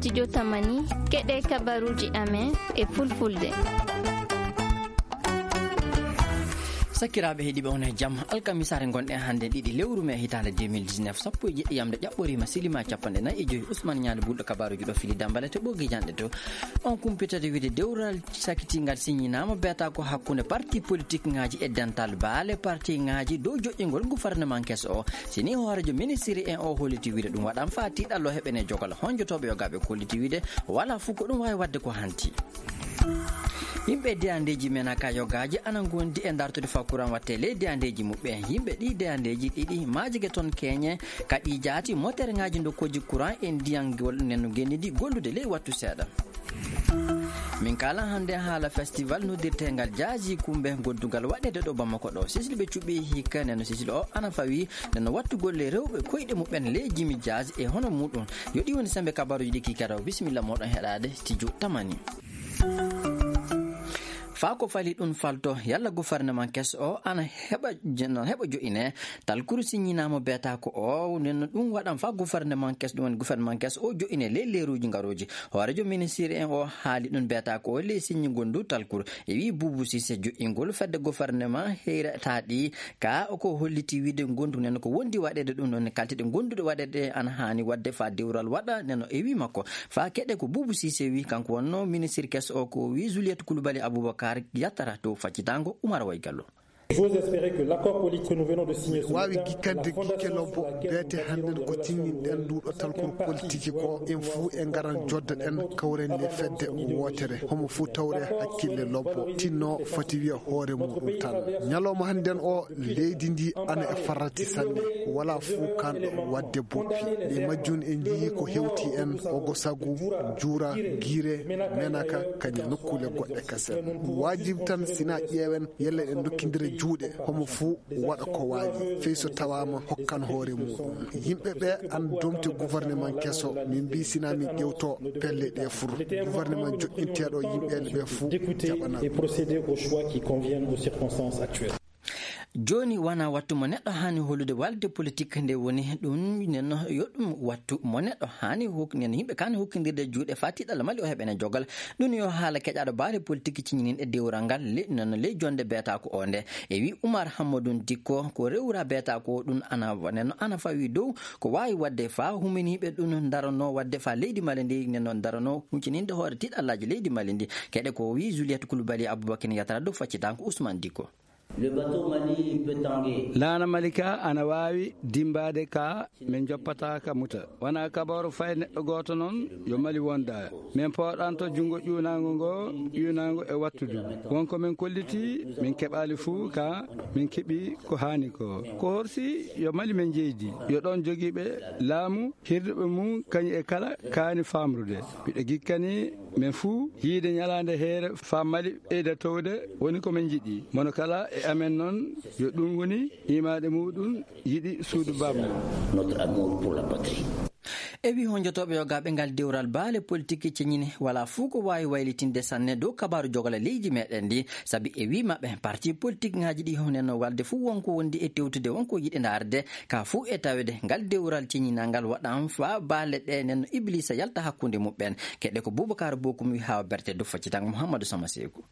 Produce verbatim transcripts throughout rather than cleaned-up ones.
Studio Tamani, keɗee kabaruuji amen e Fulfulde. Sakiraaɓe heɗiiɓe, on e jam. Alkamisaare ngonɗen hannde ɗiɗi lewru mee hitaande deux mille dix-neuf, sappo e jeɗɗi yamnde ƴaɓɓoriima, silimaa cappanɗe nayi e joy. Usman Ñaani Bulɗo, kabaruuji ɗo fili Dambale to Ɓoggii Janɗe to. On kumpitata wiide dewral sakitiingal siñinaama, beetaa ko hakkunde parti politikŋaaji e dental baale partiŋaaji dow joƴƴingol gufarneman keso o. Si nii hooreejo ministiri en o holliti wiide ɗum waɗan faa tiiɗallo heɓene jogal honjotooɓe yogaaɓe kolliti wiide walaa fuu ko ɗum waawi waɗde ko hanti. Yimɓe deyandeeji menaka yogaaji ana ngondi e dartude faa kuran watte ley deyandeeji muɓɓen. Yimɓe ɗii deyandeeji ɗiɗi maajike ton keñe ka ɗii jaati moterŋaaji ndokkooji kuran e ndiyan ngol nen no ngenndi ndi gollude ley wattu seeɗa. Min kaalan hannde haala festival noddirteengal Jaaji Kumbe goddungal waɗeede ɗo Bamako ɗo. Sisil ɓe cuɓii hikka nen no sisil o ana fawii nen no wattu golle rewɓe koyɗe muɓɓen ley jimi jaaji e hono muuɗum. Yo ɗii woni semmbe kabaruuji ɗi kiikii raw. Bisimilla mooɗon heɗaade studio Tamani. Faa ko fali ɗum falto, yalla gufarneman keso o ana heɓa, ana heɓa jo'ine talkuru siñinaama beetaa ko o, nden no ɗum waɗan faa gufarneman keso, ɗum woni gufarneman keso o jo'ine ley leeruuji ngarooji. Hooreejo ministiri en o haali ɗum beetaa ko o ley siññingol nduu talkuru. E wii Buubu Siise jo'ingol fedde gufarneman heyre taa ɗi Ka o ko holliti wiide ngondu nen ko wondi waɗeede ɗum ɗon kalteɗe gonduɗe waɗeede ana haani waɗde faa dewral waɗa nen o ewi makko. Faa keɗe ko Buubu Siise wi, kanko wonnoo ministir keso o ko wi Juliette Coulibaly Aboubacar yattara to faccitango Umar Way Gallo. J'ose espérer que l'accord politique que nous venons de signer ce waawi matin, gikkande la fondation gikke sur lobbo laquelle beete nous hannden bâtirons ko les relations ciññinɗen humaines nduuɗo talkol politiki ko en fuu en ngaran joddoɗen kawren le fedde wootere homo fuu tawre hakkille lobbo tinno fati wiya hoore muɗum tan. Ñalawma hannden o leydi ndi ana e farrati sanne. Walaa fuu kanɗo waɗde boppi. E majjum en njiyii ko hewti en ogo sagu, juura, giire, menaka, kañe nokkuule goɗɗe kasen. Waajib tan sina ƴeewen yalla en ndokkindira juuɗe homo fuu waɗa ko waawi fey so tawaama hokkan hoore muɗum. Yimɓe ɓe an domte gouvernement keso min mbi sina min ƴewto pelle ɗe fur gouvernement joɗɗinteeɗo yimɓe ɓe fuu jaɓana. Et procéder aux choix qui conviennent aux circonstances actuelles. Jooni wanaa wattu mo neɗɗo haani hollude walde politik nde woni ɗum nenno yo ɗum wattu mo neɗɗo haani hok nenno yimɓe kaani hokkindirde juuɗe faa tiɗalla mali o heɓene jogal. Ɗum yo haala keƴaaɗo baale politik ciñininɗe dewral ngal le-, no, no ley jonnde beetaako oo nde. E wii Umar Hammadun Dikko, ko rewra beetaako oo ɗum ana wa-, nen no ana fawii dow ko waawi waɗde faa huminiiɓe ɗum ndaranoo waɗde faa leydi Mali ndi nen no ndaranoo huñcininde hoore tiɗallaaji leydi Mali ndi. Keɗe ko wii Juliette Coulibaly Aboubacar Yatara dow faccitanko Ousmane Dikko. Le bateau Mali peut tanguer. Laana Mali ka ana waawi dimmbaade ka min njoppata ka muta. Wanaa kabaaru fay neɗɗo gooto noon yo Mali wonda. Min pooɗanto junngo ƴuunaango ngo, ƴuunaango e wattudu. Won ko min kolliti, min keɓaali fuu ka min keɓi ko haani ko. Ko horsi yo Mali min jeydi, yo ɗoon jogiiɓe laamu, hirduɓe mum kañum e kala kaani faamrude. Miɗo gikkani men fuu yiide ñalaande heere faa Mali ɓeyda towde woni ko men njiɗi. Mono kala e amen noon yo ɗum woni imaade muɗum yiɗi suudu baaba mum. Notre amour pour la patrie. E wii honjotooɓe yogaaɓe ngal dewral baale politik ceñini walaa fuu ko waawi waylitinde sanne dow kabaaru jogala leydi meɗen ndi. Sabi e wii maɓɓe parti politikŋaaji ɗi honenno walde fuu wonko wondi e tewtude wonko yiɗi ndaarde. Ka fuu e tawede ngal dewral ceñinal ngal waɗan faa baale ɗe nen no Iblisa yalta hakkunde muɓɓen. Keɗe ko Boubacar Bokum wi haa berte dow faccitango Mouhamadou Sama Seeku.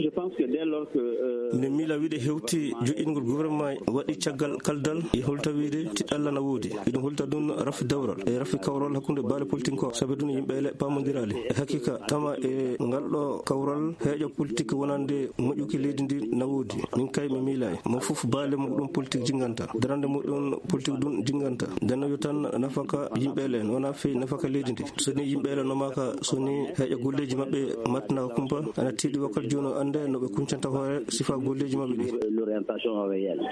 Je pense que dès lors que, euh, miɗen miila wiide hewti joƴƴingol gouvernement waɗi caggal kaldal e holta wiide tiɗalla na woodi. Iɗum holta ɗum rafi dewral e rafi kawral hakkunde baale politique ko sabi ɗum yimɓe ele paamondirali. E haqiqa tama e ngal ɗo kawral heeƴo politique wonande moƴƴuki leydi ndi na woodi. Min kay mi miilaay. Mo fof baale muɗum politique jinganta. Darande muɗum politique ɗum jinganta. Nden no yo tan nafaka yimɓe ele, wona fey nafaka leydi ndi. So ni yimɓe ele no maka, so ni heeƴa golleeji maɓɓe matna kumpa, ana tiiɗi wakkati jooni o annde no ɓe kuncanta hoore sifa golleeji maɓɓe ɗi. L'orientation réelle.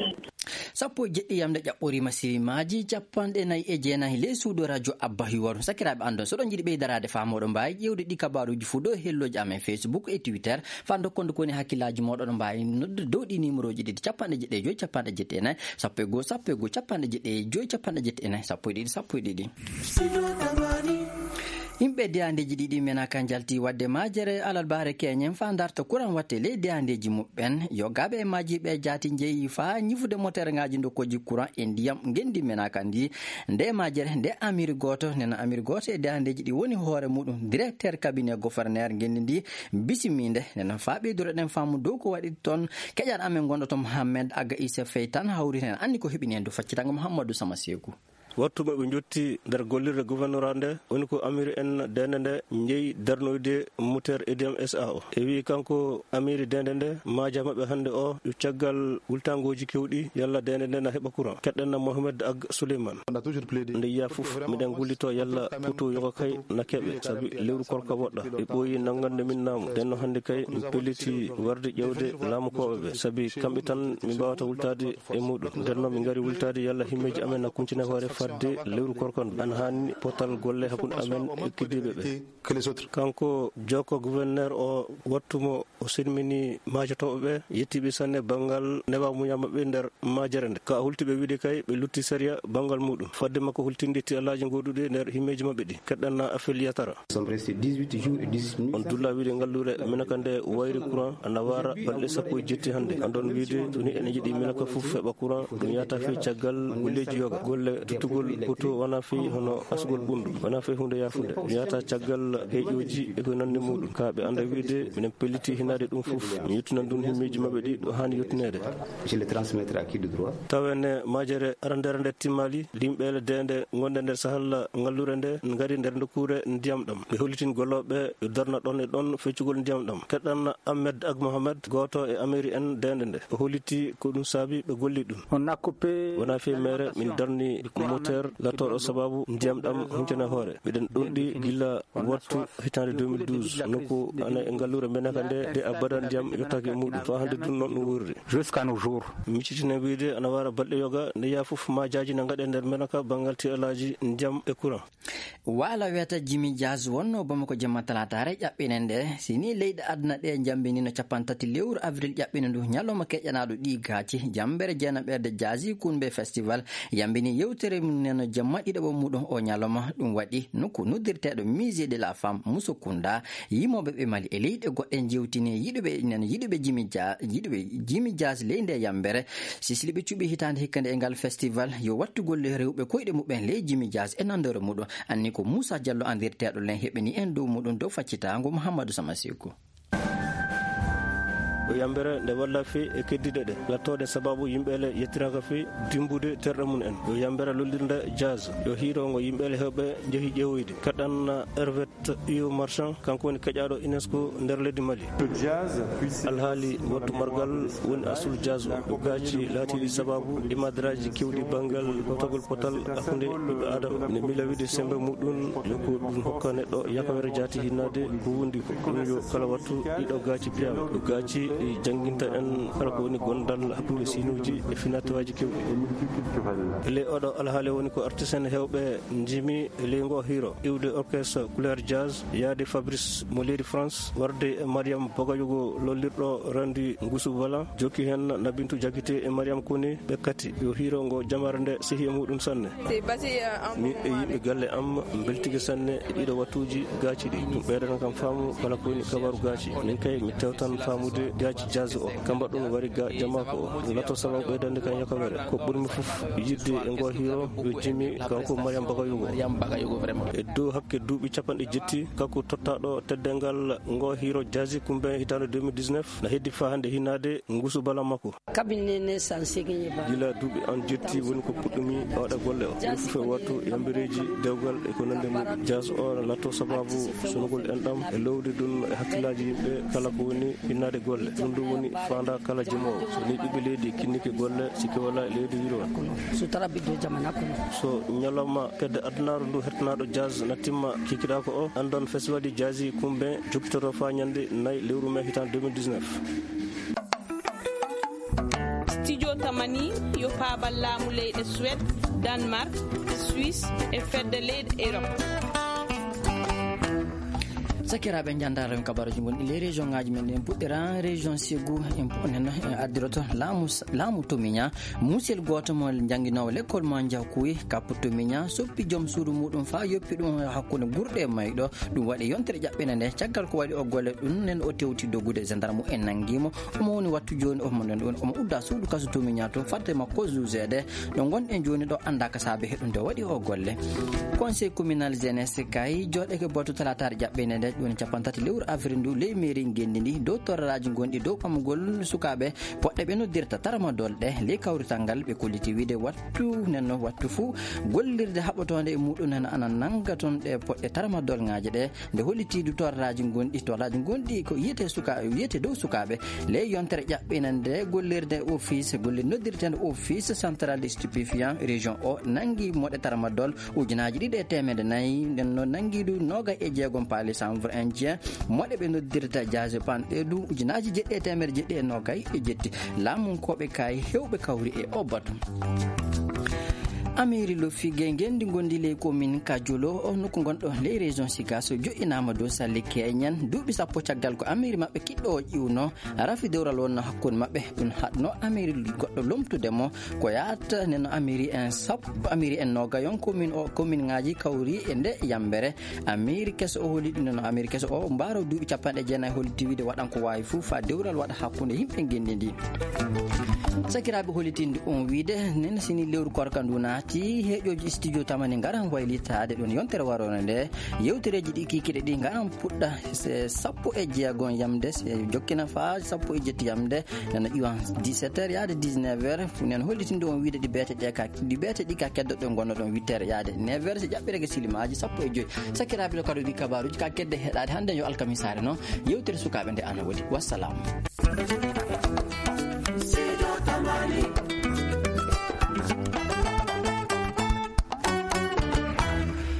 Sappo e jeɗɗi yamde ƴaɓɓoriima silimaaji capanɗe nayi e jeenayi ley suudu radio Abba Hiwaru. Sakiraaɓe anndon, so ɗon njiɗi ɓeydaraade faa mooɗon mbaawi ƴeewde ɗi kabaaruuji fuu dow hellooji amen Facebook e Twitter. Faa ndokkonde ko woni hakkillaaji mooɗon, oɗon mbaawi noddude dow ɗii niimorooji ɗiɗi, capanɗe jeɗɗi e joy, capanɗe jeɗɗi e nayi, sappo e goo, sappo e goo, capanɗe jeɗɗi e joy, capanɗe jeɗɗi e nayi, sappo e ɗiɗi, sappo e ɗiɗi. Yimɓe deyandeeji ɗiɗi menaka njalti waɗde majere alarbaare keñen faa ndarta kuraŋ watte ley deyandeeji muɓɓen. Yogaaɓe e maaji ɓe jaati njeyi faa ñifude moterŋaaji ndokkooji kuraŋ e ndiyam ngenndi menaka ndi. Nde majere nde amiri gooto, nena amiri gooto e deyandeeji ɗi woni hoore muɗum, directeur cabinet gouverneur ngenndi ndi, bisimiinde. Nena faa ɓeyduroɗen faamu dow ko waɗi toon, keƴan amen gonɗo to Mohammed Aga Issa Fey tan hawri heen, anndi ko heɓini heen dow faccitango Muhammadu Sama Seeku. Wattu mo ɓe njotti nder gollirde gouverneur nde, woni ko amiri en deende nde njeyi darnoyde moteur Ediam S A o. E wii kanko amiri deende nde, maaja maɓɓe hannde o, yo caggal wultangooji kewɗi, yalla deende nde na heɓa courant. Keɗɗen na Mohamed Ag Souleyman. Nde yiya fof, miɗen ngullitoo yalla Fuuta yoga kay na keɓe, sabi lewru korka woɗɗa. Ɓe ɓooyi nanngande min naamu. Nden no hannde kay, mi pelliti warde ƴeewde laamukooɓe ɓe, sabi kamɓe tan min mbaawata wultaade e muuɗum. Nden noon, min ngari wultaade yalla himmeeji amen na kuntine hoore fadde lewru korka ndu. Ana haani potal golle hakkunde amen e keddiiɓe ɓe. Kanko jooko gouverneur o, wattu mo o salmini maajotooɓe ɓe, yettii ɓe sanne banngal newa muñal maɓɓe nder majere nde. Ka hulti ɓe wiide kay, ɓe lutti sariya banngal muuɗum. Fadde makko hultinde tiiɗalaaji gooduɗi nder himmeeji maɓɓe ɗi. Keɗɗen na Afel Yatara. On dulla wiide ngalluure Minaka nde wayri courant ana waara balɗe sappo e jetti hannde. Anndon wiide so ni ene yiɗi Minaka fof heɓa courant, ɗum yahata fii caggal golleeji yoga. Golle duttugol poto wona fii hono asgol ɓunndu, wona fii huunde yaafunde. Ɗum yahata caggal heeƴooji e ko nanndi muuɗum. Ka ɓe annda wiide, minen pelliti hinaade ɗum fof. Mi yettinan ɗum himmeeji maɓɓe ɗi ɗo haani yettineede. Je le transmettre à qui de droit? Tawa ene majere arandere nde timmaali, limɓeele deende ngonɗe nder sahal ngalluure nde ngari nder nokkuure ndiyam ɗam. Ɓe hollitin gollooɓe ɓe yo darna ɗon e ɗon feccugol ndiyam ɗam. Keɗɗan Ahmed Ag Mohamed, gooto e amiri en deende nde. O holliti ko ɗum saabi ɓe golli ɗum. On a coupé. Wona fii meere, min darni moteur lattooɗo sababu ndiyam ɗam huntene hoore. Miɗen ɗonɗi gila wattu hitaande deux mille douze, nokku ana e ngalluure Menaka nde, nde abada ndiyam yottaaki e muuɗum. Faa hannde dun non ɗum wuurri. Jusqu'à nos jours. Miccitine wiide ana waara balɗe yoga, nde yaa fof maajaaji na ngaɗe nder Menaka banngal tiiɗalaaji ndiyam e courant. Waala wiyata Jimi Jaz wonnoo Bamako jemma talaataare ƴaɓɓiinde nde. Si nii leyɗe aduna ɗe njammbinii no cappanɗe tati lewru avril ƴaɓɓiinde ndu, ñalawma keƴanaaɗo ɗii gaaci, jammbere jeenaɓerde Jazzy Kounbé Festival yammbinii yewtere mum nden jemma ɗiɗaɓo muuɗum oo ñalawma. Ɗum waɗi nokku noddirteeɗo Musée de la Femme Musokunda. Yimooɓe ɓe Mali e leyɗe goɗɗe njewtini yiɗuɓe nen, yiɗuɓe Jimi Ja-, yiɗuɓe Jimi Jaz ley ndee yammbere. Sisli ɓe cuɓii hitaande hikka nde e ngal festival yo wattugol rewɓe koyɗe muɓɓen ley Jimi Jaz e nanndoore muɗum. Anni ko Muusa Jallo anndirteeɗo len heɓini en dow muɗum dow faccitaango Muhammadu Sama Seeku. Yo yambere nde walla fii e keddiiɗe ɗe lattooɗe sababu yimɓe le yettiraaka fii dimmbude terɗe mum en. Yo yambere lollirnde jazz. Yo hiirongo yimɓe le heewɓe njehi ƴeewoyde. Kaɗan Hervé Iyo Marchand, kanko woni keƴaaɗo UNESCO nder leydi Mali. Alhaali wattu margal woni asul jazz o. Yo gaaci laatiiɗi sababu e madaraaji keewɗi banngal hotogol potal hakkunde ɓiɓɓe aadama. Ne mila wiide semmbe muɗum yo ko ɗum hokka neɗɗo yakawere jaati hinnaade ko wondi ko. Ɗum yo kala wattu ɗiɗo gaaci piyaama. Yo gaaci ɗi jannginta en kala ko woni gondal hakkunde siinuuji e finatawaaji keewɗi. E ley oɗo alhaali woni ko artiste en heewɓe njimi e ley ngoo hiiro iwde orchestre Couleur Jazz, yaade Fabrice mo leydi France, warde e Mariam Bagayoko lollirɗo renndi Ngusu Bala, jokki heen Nabintu Jakite e Mariam Kone, ɓe kati yo hiiro ngo jamaare nde sehi e muɗum sanne. Min e yimɓe galle am mbeltike sanne e ɗiɗo wattuuji gaaci ɗi. Ɗum ɓeydana kam faamu kala ko woni kabaru gaaci. Min kay mi tewtan faamude gaaci jazz o. Ka mbaɗɗun wari ga jamaako o. Ɗum lato sababu ɓeydande kam yakawere. Ko ɓurmi fof yidde e ngoo hiiro yo jimi kanko Mariam Bagayoko. E dow hakke duuɓi cappanɗe jetti, kanko tottaaɗo teddeengal ngoo hiiro jazz kumbe hitaande deux mille dix-neuf, na heddi faa hannde hinnaade Ngusu Bala makko. Gila duuɓi an jetti woni ko puɗɗumi waɗa golle o. Ɗum fof e wattu yambereeji dewgal e ko nanndi mum. Jazz o na latto sababu sunugol enɗam e lowde ɗum e hakkillaaji yimɓe kala ko woni hinnaade golle. Ɗum ɗum woni faandaa kala jimoowo. So ni ɓiɓɓe leydi kinnike golle, sikke wala e leydi wiro. So tara ɓiɗɗo jamana kono. So ñalawma kedde adunaaru ndu hertanaaɗo jazz na timma kikiɗaako o, anndon festival de jazz kumbe jokkitoto faa ñande nay lewru mee hitaande deux mille dix-neuf. Studio Tamani yo paabal laamu leyɗe Suède, Danemark, Suisse e fedde leyɗe Europe. Sakiraaɓe, njanndaare men kabaruuji ngonɗi ley région ŋaaji men ɗin. Puɗɗiraa région Ségou, en pu-, nen, en addiroto laamu s-, laamu Tomiña. Muusel gooto mo jannginoowo lekkol mo Njakuy, kappu Tomiña, soppi joom suudu muuɗum faa yoppi ɗum hakkunde gurɗe e mayɗo. Ɗum waɗi yontere ƴaɓɓinde nde. Caggal ko waɗi o golle ɗum nen, o tewti doggude, gendarme en nanngi mo. Omo woni wattu jooni, omo nden ɗum, omo uddaa suudu kaso Tomiña to, fadde makko jugeede. Ɗo ngonɗen jooni ɗo anndaa ka saabe heɗunde waɗi o golle. Conseil communal jeunesse kay jooɗeke batu talaataare ƴaɓɓinde nde, ɗum woni cappanɗe tati lewru avril ndu, ley mairie ngenndi ndi, dow torraaji ngonɗi dow ɓamugol sukaaɓe poɗɗe ɓe noddirta tramadol ɗe. Ley kawrital ngal ɓe kolliti wiide wattu nenno, wattu fuu gollirde haɓotoonde e muuɗum nana ana nannga toon ɗe poɗɗe tramadol ŋaaje ɗe. Nde holliti du torraaji ngonɗi, torraaji ngonɗi ko yiyetee suka-, yiyetee dow sukaaɓe. Ley yontere ƴaɓɓinde nde gollirde office, golle noddirteende office central de stupéfiant région o nanngi moɗe tramadol ujunaaji ɗiɗi e teemedde nayi, nden no nanngi du noogay e jeegom paali chanvre indien, moɗe ɓe noddirta diazépam ɗe du ujunaaji jeɗɗi e teemedde jeɗɗi e noogay e jeɗɗi. Laamunkooɓe kay heewɓe kawri e o batu. Amiri Lofigey ngenndi ngonndi ley commune Kajolo, o nokku ngonɗo ley région Sikaso, joɗɗinaama dow salli keeñen. Duuɓi sappo caggal ko amiri maɓɓe kiɗɗo o ƴiwno, rafi dewral wonno hakkunde maɓɓe. Ɗum haɗno amiri goɗɗo lomtude mo ko yaata nde no amiri en sappo, amiri en noogayon commune o, commune ŋaaji kawri e nde yambere. Amiri keso o holi ɗum no amiri keso o mbaaro duuɓi cappanɗe jeenayi, holi tiwide waɗan ko waawi fuu faa dewral waɗa hakkunde yimɓe ngenndi ndi. Sakiraaɓe, holitinde on wiide nen sini lewru korka ndu naati, heeƴooji studio tamani ngaran waylitaade ɗum yontere waroore nde. Yewtereeji ɗi kiikiiɗe ɗi ngaran puɗɗa se sappo e jeegom yamde, se jokkina faa sappo e jetti yamde. Nana ƴiwan dix-sept heures yaade dix-neuf heures. Fu nen hollitinde on wiide ɗi beete ɗe ka, ɗi beete ɗi ka keddoɗon ngonnoɗon huit heures yaade neuf heures, si ƴaɓɓireke silimaaji sappo e joy. Sakiraaɓe, ɗo kadi ɗi kabaruuji ka kedde heɗaade hannde yo alkamisaare noon. Yewtere sukaaɓe nde ana woodi. Wassalaamu.